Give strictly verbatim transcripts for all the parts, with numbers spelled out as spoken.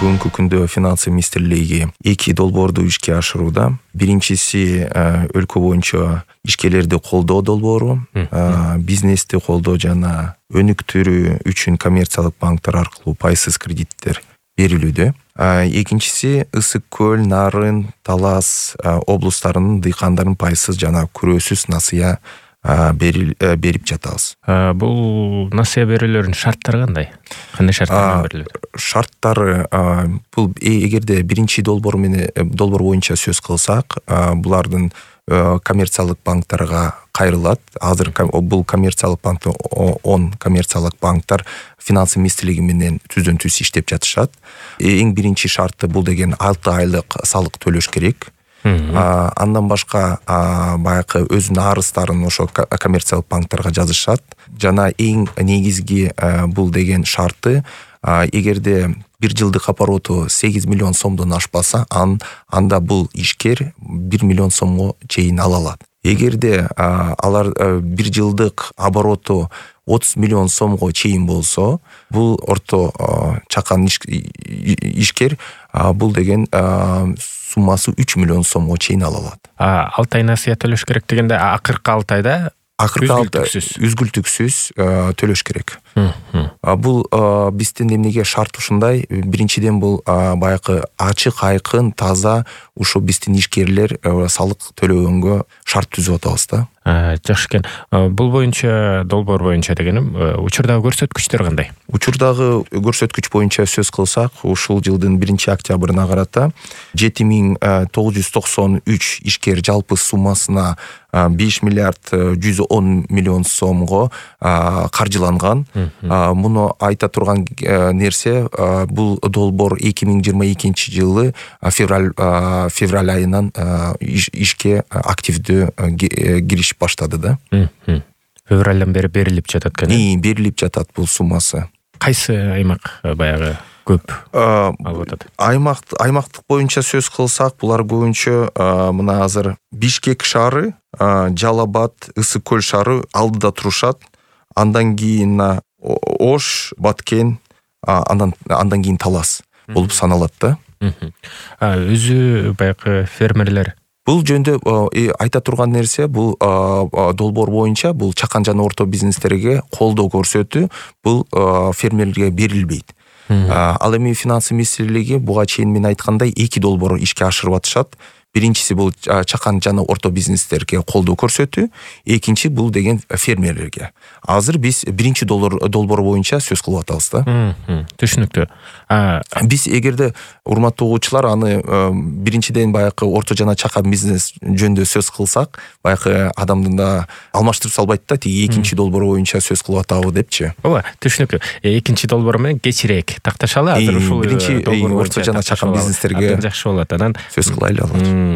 бүгүнкү күндө финансы министрлиги эки долбоорду ишке ашырууда. Биринчиси өлкө боюнча ишкерлерди колдоо долбоору, бизнести колдоо жана өнүктүрүү үчүн коммерциялык банктар аркылуу пайсыз кредиттер берилүүдө. Экинчиси Ысык көл, Нарын, Талас облустарынын дыйкандарын пайсыз жана күрөөсүз насыя берип жатабыз. Бул насыя берүүлөрдүн шарттары кандай? Кандай шарттар берилет? Шарттары бул эгерде биринчи долбоор менен долбоор боюнча сөз кылсак, булардын коммерциялык банктарга кайрылат. Азыр бул коммерциялык банктар он коммерциялык банктар финансы министрлиги менен түздөн түз иштеп жатышат. Эң биринчи шарты бул деген алты айлык салык төлөш керек. Андан башка баягы өзүнүн арыздарын ошо коммерциялык банктарга жазышат. Жана эң негизги бул деген шарты, эгерде бир жылдык обороту сегиз миллион сомдон ашпаса, анда бул ишкер бир миллион сомго чейин ала алат. Эгерде алар бир жылдык обороту отуз миллион сомго чейин болсо, бул орто чакан ишкер бул деген суммасы үч миллион сомго чейин ала алат. алты ай насыя төлөш керек дегенде, акыркы алты айда үзгүлтүксүз төлөш керек. Бул биздин эмнеге шарт ушундай? Биринчиден бул баягы ачык, айкын, таза ушу биздин ишкерлер салык төлөгөнгө шарт түзүп атабыз да. Жакшы экен. Бул боюнча, долбоор боюнча дегеним, учурдагы көрсөткүчтөр кандай? Учурдагы көрсөткүч боюнча сөз кылсак, ушул жылдын биринчи октябрына карата жети миң тогуз жүз токсон үч ишкер жалпы суммасына беш миллиард жүз он миллион сомго каржыланган. Муну айта турган нерсе, бул долбоор эки миң жыйырма экинчи жылы февраль февраль айынан ишке активдүү кириш баштады да. Февралдан бери берилип жатат экен. И, берилип жатат бул суммасы. Кайсы аймак баягы көп алып атат? Аймак аймактык боюнча сөз кылсак, булар көбүнчө мына азыр Бишкек шаары, Жалал-Абад, Ысык көл шаары алдыда турушат. Андан кийин Ош, Баткен, андан андан кийин Талас болуп саналат да. Өзү баягы фермерлер. Бул жөндө айта турган нерсе, бул долбоор боюнча бул чакан жана орто бизнестерге колдоо көрсөтүү, бул фермерлерге берилбейт. Ал эми финансы министрлиги буга чейин мен айткандай эки долбоор ишке ашырып атышат. Биринчиси бул чакан жана орто бизнестерге колдоо көрсөтүү, экинчи бул деген фермерлерге. Азыр биз биринчи долбоор боюнча сөз кылып атабыз да. Түшүнүктүү. Биз эгерде урматтуу угуучулар, аны биринчиден баягы орто жана чакан бизнес жөнүндө сөз кылсак, баягы адамдын да алмаштырып салбайт да, тиги экинчи долбоор боюнча сөз кылып атабы депчи. Ооба, түшүнүктүү. Экинчи долбоор менен кечирээк такташалы, азыр ушул биринчи орто жана чакан бизнестерге жакшы болот. Анан сөз кылайлы алар.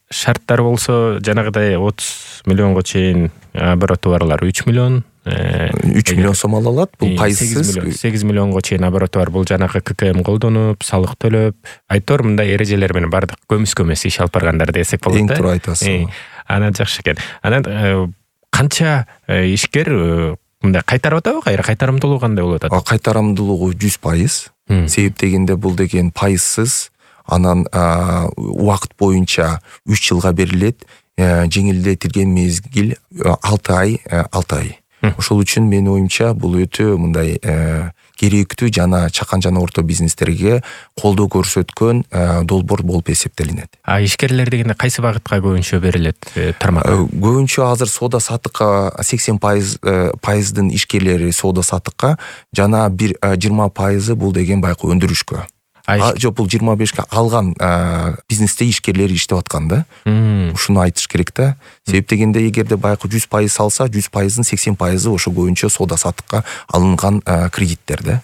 Шарттар болсо жанагыдай отуз миллионго чейин обороты барлар үч миллион, үч миллион сом ала алат. Бул пайсыз. сегиз миллионго чейин обороты бар. Бул жанагы ККМ колдонуп, салык төлөп, айтор мындай эрежелер менен бардык көмүс-көмүс иш алып баргандар десек болот да. Эң туура айтасыз. Анан жакшы экен. Анан канча ишкер мындай кайтарып атабы, кайра кайтарымдуулугу кандай болуп атат? Кайтарымдуулугу жүз пайыз. Себеп дегенде бул деген пайсыз. Анан убакыт боюнча үч жылга берилет. Жеңилдетилген мезгил алты ай, алты ай. Ошол үчүн менин оюмча бул өтө мындай керектүү жана чакан жана орто бизнестерге колдоо көрсөткөн долбоор болуп эсептелинет. А ишкерлер дегенде кайсы багытка көбүнчө берилет тармак? Көбүнчө азыр соода сатыкка сексен пайыздын ишкерлери соода сатыкка, жана бир жыйырма пайызы бул деген баягы өндүрүшкө. Жок, бул жыйырма бешке алган бизнесте ишкерлер иштеп аткан да. Ушуну айтыш керек да. Себеп дегенде эгерде баягы жүз пайыз алса, жүз пайыздын сексен пайызы ошо көбүнчө соода сатыкка алынган кредиттер да.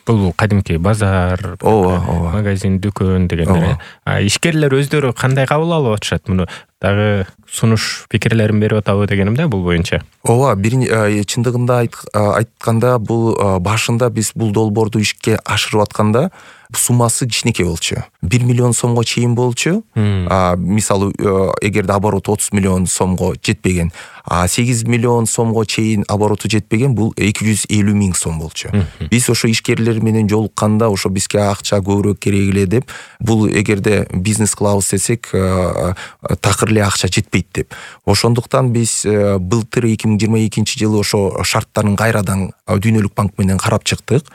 Бул кадимки базар, ооба, ооба, магазин, дүкөн дегендер. Ишкерлер өздөрү кандай кабыл алып атышат муну? дагы сунуш пикирлерин берип атабы дегеним да бул боюнча. Ооба, бир чындыгында айтканда бул башында биз бул долбоорду ишке ашырып атканда суммасы кичинекей болчу. бир миллион сомго чейин болчу. Мисалы, эгерде оборот отуз миллион сомго жетпеген, а сегиз миллион сомго чейин обороту жетпеген, бул эки жүз элүү миң сом болчу. Биз ошо ишкерлер менен жолукканда ошо бизге акча көбүрөөк керек эле деп, бул эгерде бизнес кылабыз десек, такыр эле акча жетпейт деп. Ошондуктан биз былтыр эки миң жыйырма экинчи жылы ошо шарттарын кайрадан Дүйнөлүк банк менен карап чыктык.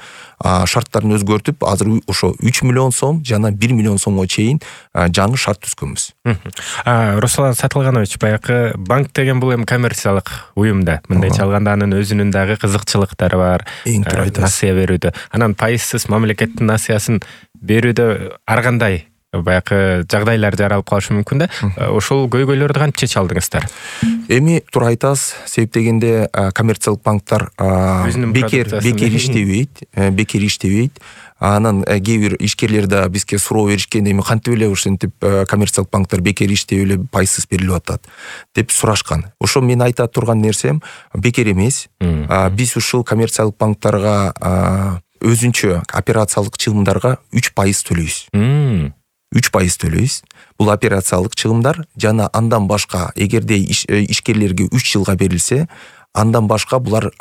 Шарттарын өзгөртүп, азыр ошо үч миллион сом жана бир миллион сомго чейин жаңы шарт түзгөнбүз. Руслан Сатылганович, баягы банк деген бул эми коммерциялык уюм да. Мындайча алганда анын өзүнүн дагы кызыкчылыктары бар. Насыя берүүдө. Анан пайызсыз мамлекеттин насыясын берүүдө ар кандай баягы жагдайлар жаралып калышы мүмкүн да. Ошол көйгөйлөрдү кантип чече алдыңыздар? Эми туура айтасыз, себеп дегенде коммерциялык банктар бекер бекер иштебейт, бекер иштебейт. Анан кээ бир ишкерлер да бизге суроо беришкен, эми кантип эле ушинтип коммерциялык банктар бекер иштеп эле пайызсыз берилип атат деп сурашкан. Ошо мен айта турган нерсем бекер эмес. Биз ушул коммерциялык банктарга өзүнчө операциялык чыгымдарга үч пайыз төлөйбүз. үч пайыз төлөйбүз. Бул операциялык чыгымдар жана андан башка эгерде ишкерлерге үч жылга берилсе, андан башка булар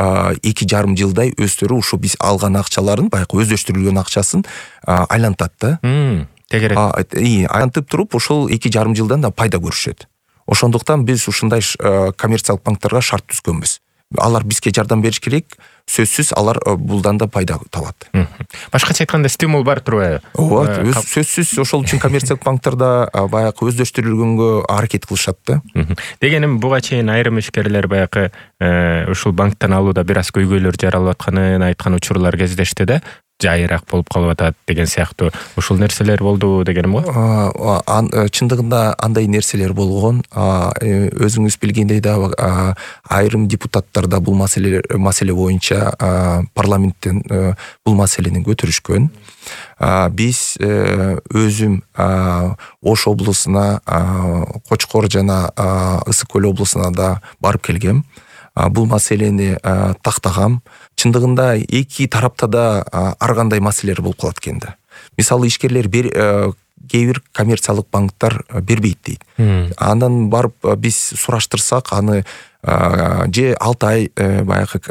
эки жарым жылдай өздөрү ушу биз алган акчаларын, баягы өздөштүрүлгөн акчасын айлантат да. Тегерек. Айлантып туруп, ошол эки жарым жылдан да пайда көрүшөт. Ошондуктан биз ушундай коммерциялык банктарга шарт түзгөнбүз. Алар бизге жардам бериш керек, сөзсүз алар булдан да пайда табат. Башкача айтканда стимул бар турбайбы? Ооба, сөзсүз ошол үчүн коммерциялык банктарда баягы өздөштүрүлгөнгө аракет кылышат да. Дегеним, буга чейин айрым ишкерлер баягы ушул банктан алууда бир аз көйгөйлөр жаралып атканын айткан учурлар кездешти да. Жайыраак болуп калып атат деген сыяктуу. Ушул нерселер болду дегеним го? Чындыгында андай нерселер болгон. Өзүңүз билгендей да айрым депутаттар да бул маселе маселе боюнча парламенттен бул маселени көтөрүшкөн. Биз өзүм Ош облусуна, Кочкор жана Ысык көл облусуна да барып келгем. Бул маселени тактагам. Чындыгында эки тарапта да ар кандай маселелер болуп калат экен да. Мисалы, ишкерлер кээ бир коммерциялык банктар бербейт дейт. Андан барып биз сураштырсак, аны же алты ай баягы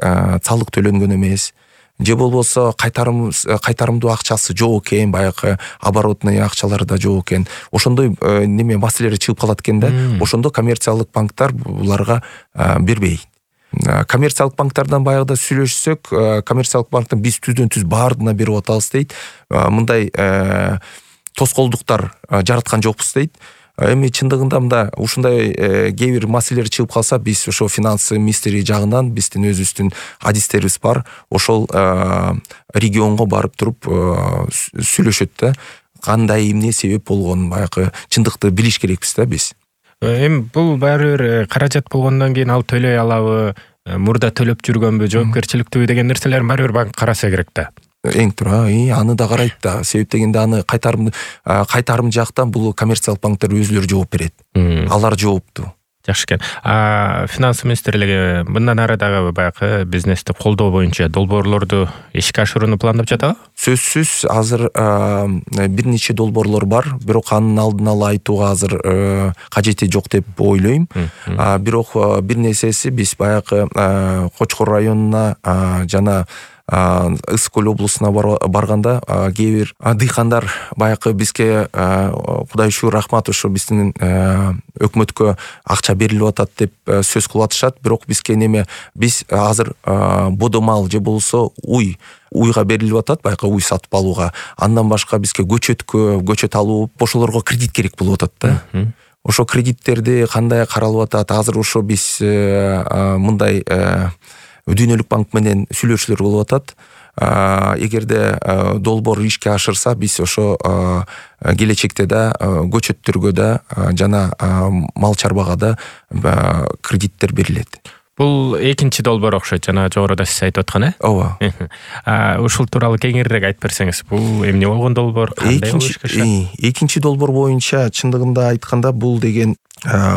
салык төлөнгөн эмес, же болбосо кайтарым кайтарымдуу акчасы жок экен, баягы оборотный акчалары да жок экен. Ошондой неме маселелер чыгып калат экен да. Ошондо коммерциялык банктар буларга бербейт. Коммерциялык банктардан баягыда сүйлөшсөк, коммерциялык банктан биз түздөн түз баардыгына берип атабыз дейт. Мындай тоскоолдуктар жараткан жокпуз дейт. Эми чындыгында мында ушундай кээ бир маселелер чыгып калса, биз ошо финансы министри жагынан биздин өзүбүздүн адистерибиз бар. Ошол регионго барып туруп сүйлөшөт да. Кандай эмне себеп болгонун баягы чындыкты билиш керекпиз да биз. Эми бул баары бир каражат болгондон кийин ал төлөй алабы, мурда төлөп жүргөнбү, жоопкерчиликтүүбү деген нерселерин баары бир банк караса керек да. Эң туура, аны да карайт да. Себеп дегенде аны кайтарым кайтарым жактан бул коммерциялык банктар өзүлөрү жооп берет. Алар жооптуу. Жакшы экен. А финанс министрлиги мындан ары дагы баягы бизнести колдоо боюнча долбоорлорду ишке ашырууну пландап жатабы? Сөзсүз азыр бир нече долбоорлор бар, бирок анын алдын ала айтууга азыр кажети жок деп ойлойм. Бирок бир нерсеси, биз баягы Кочкор районуна жана Ысык көл облусуна барганда кээ бир дыйкандар баягы бизге Кудай шүгүр рахмат, ошо биздин өкмөткө акча берилип атат деп сөз кылып атышат. Бирок бизге неме, биз азыр бодомал же болсо уй уйга берилип атат, баягы уй сатып алууга. Андан башка бизге көчөткө, көчөт алуу, ошолорго кредит керек болуп атат да. Ошо кредиттерди кандай каралып атат? Азыр ошо биз мындай Дүйнөлүк банк менен сүйлөшүүлөр болуп атат. Эгерде долбоор ишке ашырса, биз ошо келечекте да көчөттөргө да жана мал чарбага да кредиттер берилет. Бул экинчи долбоор окшойт, жана жогоруда сиз айтып аткан, э? Ооба. Ушул тууралуу кеңирээк айтып берсеңиз, бул эмне болгон долбоор, кандай болуш керек? Экинчи долбоор боюнча чындыгында айтканда, бул деген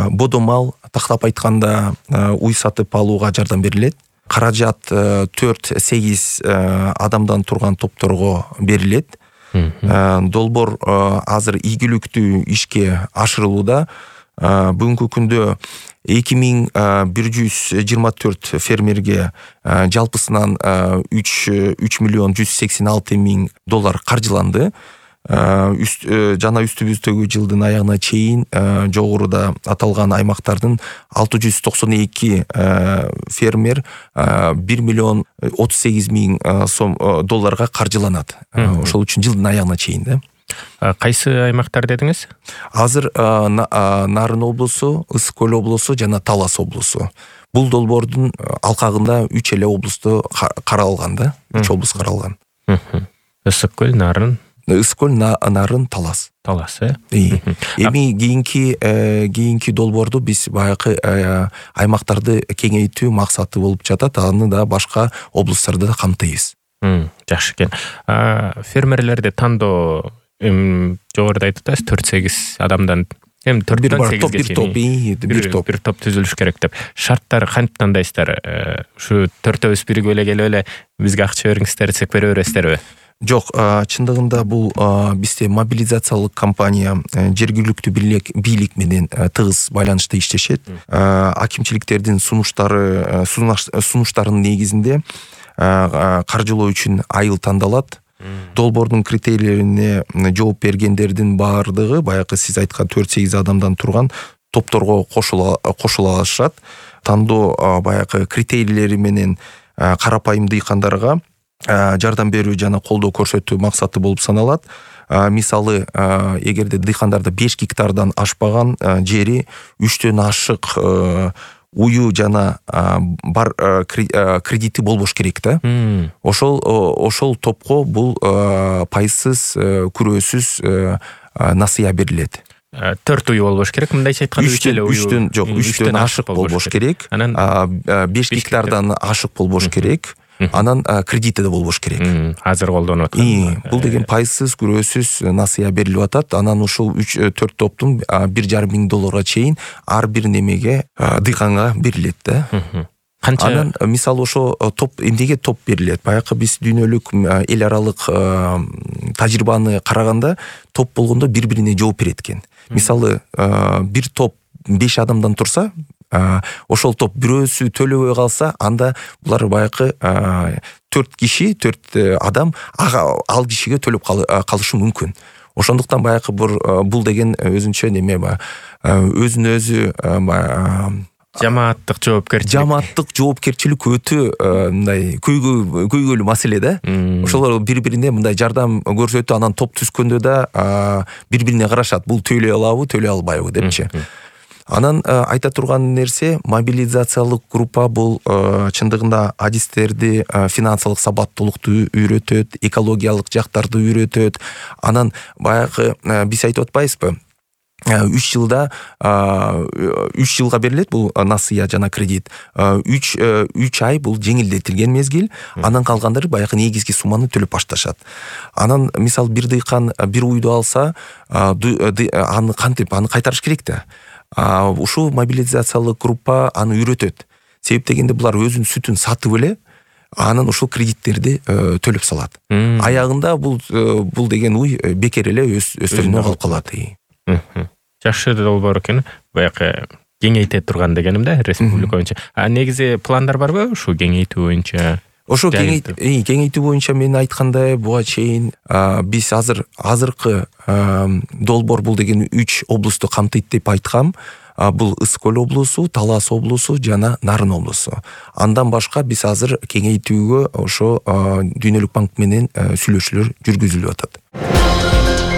бодо мал, тактап айтканда уй сатып алууга жардам берилет. Каражат төрт сегиз адамдан турган топторго берилет. Долбоор азыр ийгиликтүү ишке ашырылууда. Бүгүнкү күндө эки миң бир жүз жыйырма төрт фермерге жалпысынан үч миллион жүз сексен алты миң доллар каржыланды. Жана үстүбүздөгү жылдын аягына чейин жогоруда аталган аймактардын алты жүз токсон эки фермер бир миллион отуз сегиз миң сом долларга каржыланат. Ошол үчүн жылдын аягына чейин да. Кайсы аймактар дедиңиз? Азыр Нарын облусу, Ысык көл облусу жана Талас облусу. Бул долбоордун алкагында үч эле облусту каралган да, үч облус каралган. Ысык көл, Нарын, Ысык көл, Нарын, Талас. Талас, э? Эми кийинки кийинки долбоорду биз баягы аймактарды кеңейтүү максаты болуп жатат. Аны да башка облустарды да камтыйбыз. Жакшы экен. Фермерлерди тандоо жогоруда айтып атасыз, төрт сегиз адамдан эми төрттөн сегизге чейин бир топ бир топ түзүлүш керек деп. Шарттары кантип тандайсыздар? Ушу төртөөбүз биригип эле келип эле бизге акча бериңиздер десек бере бересиздерби? Жок, чындыгында бул бизде мобилизациялык компания жергиликтүү бийлик менен тыгыз байланышта иштешет. Акимчиликтердин сунуштары сунуштарынын негизинде каржылоо үчүн айыл тандалат. Долбоордун критерийлерине жооп бергендердин баардыгы баягы сиз айткан төрт сегиз адамдан турган топторго кошула кошула алышат. Тандоо баягы критерийлери менен карапайым дыйкандарга жардам берүү жана колдоо көрсөтүү максаты болуп саналат. Мисалы, эгерде дыйкандарда беш гектардан ашпаган жери үчтөн ашык уyu жана бар кредити болбош керек да. Ошол ошол топко бул пайсыз, күрөөсүз насыя берилет. төрт уyu болбош керек, мындайча айтканда үч эле уyu. үчтөн жок, үчтөн ашык болбош керек. беш гектардан ашык болбош керек. Анан кредити да болбош керек. Азыр колдонуп аткан. Бул деген пайсыз, күрөөсүз насыя берилип атат. Анан ушул үч төрт топтун бир жарым миң долларга чейин ар бир немеге дыйканга берилет да. Канча? Анан мисалы ошо топ эмнеге топ берилет? Баягы биз дүйнөлүк эл аралык тажрыйбаны караганда топ болгондо бири-бирине жооп берет экен. Мисалы, бир топ беш адамдан турса, ошол топ бирөөсү төлөбөй калса, анда булар баягы төрт киши, төрт адам ал кишиге төлөп калышы мүмкүн. Ошондуктан баягы бул деген өзүнчө неме өзүнө өзү жамааттык жоопкерчилик. Жамааттык жоопкерчилик өтө мындай көйгөйлүү маселе да. Ошолор бири-бирине мындай жардам көрсөтүп, анан топ түзгөндө да бири-бирине карашат. Бул төлөй алабы, төлөй албайбы депчи. Анан айта турган нерсе, мобилизациялык группа бул чындыгында адистерди, финансылык сабаттуулукту үйрөтөт, экологиялык жактарды үйрөтөт. Анан баягы биз айтып атпайбызбы? үч жылда үч жылга берилет бул насыя жана кредит. үч ай бул жеңилдетилген мезгил. Анан калгандары баягы негизги сумманы төлөп башташат. Анан мисал бир дыйкан бир уйду алса, аны кантип аны кайтарыш керек да. Ушул мобилизациялык группа аны үйрөтөт. Себеп дегенде булар өзүнүн сүтүн сатып эле, анан ушул кредиттерди төлөп салат. Аягында бул бул деген уй бекер эле өстөрүнө калып калат. Жакшы долбоор экен. Баягы кеңейте турган дегеним да, республика боюнча. А негизи пландар барбы ушу кеңейтүү боюнча? Ошо кеңейтүү боюнча мен айткандай буга чейин биз азыр азыркы долбоор бул деген үч облусту камтыйт деп айткам. Бул Ысык көл облусу, Талас облусу жана Нарын облусу. Андан башка биз азыр кеңейтүүгө ошо Дүйнөлүк банк менен сүйлөшүүлөр жүргүзүлүп атат.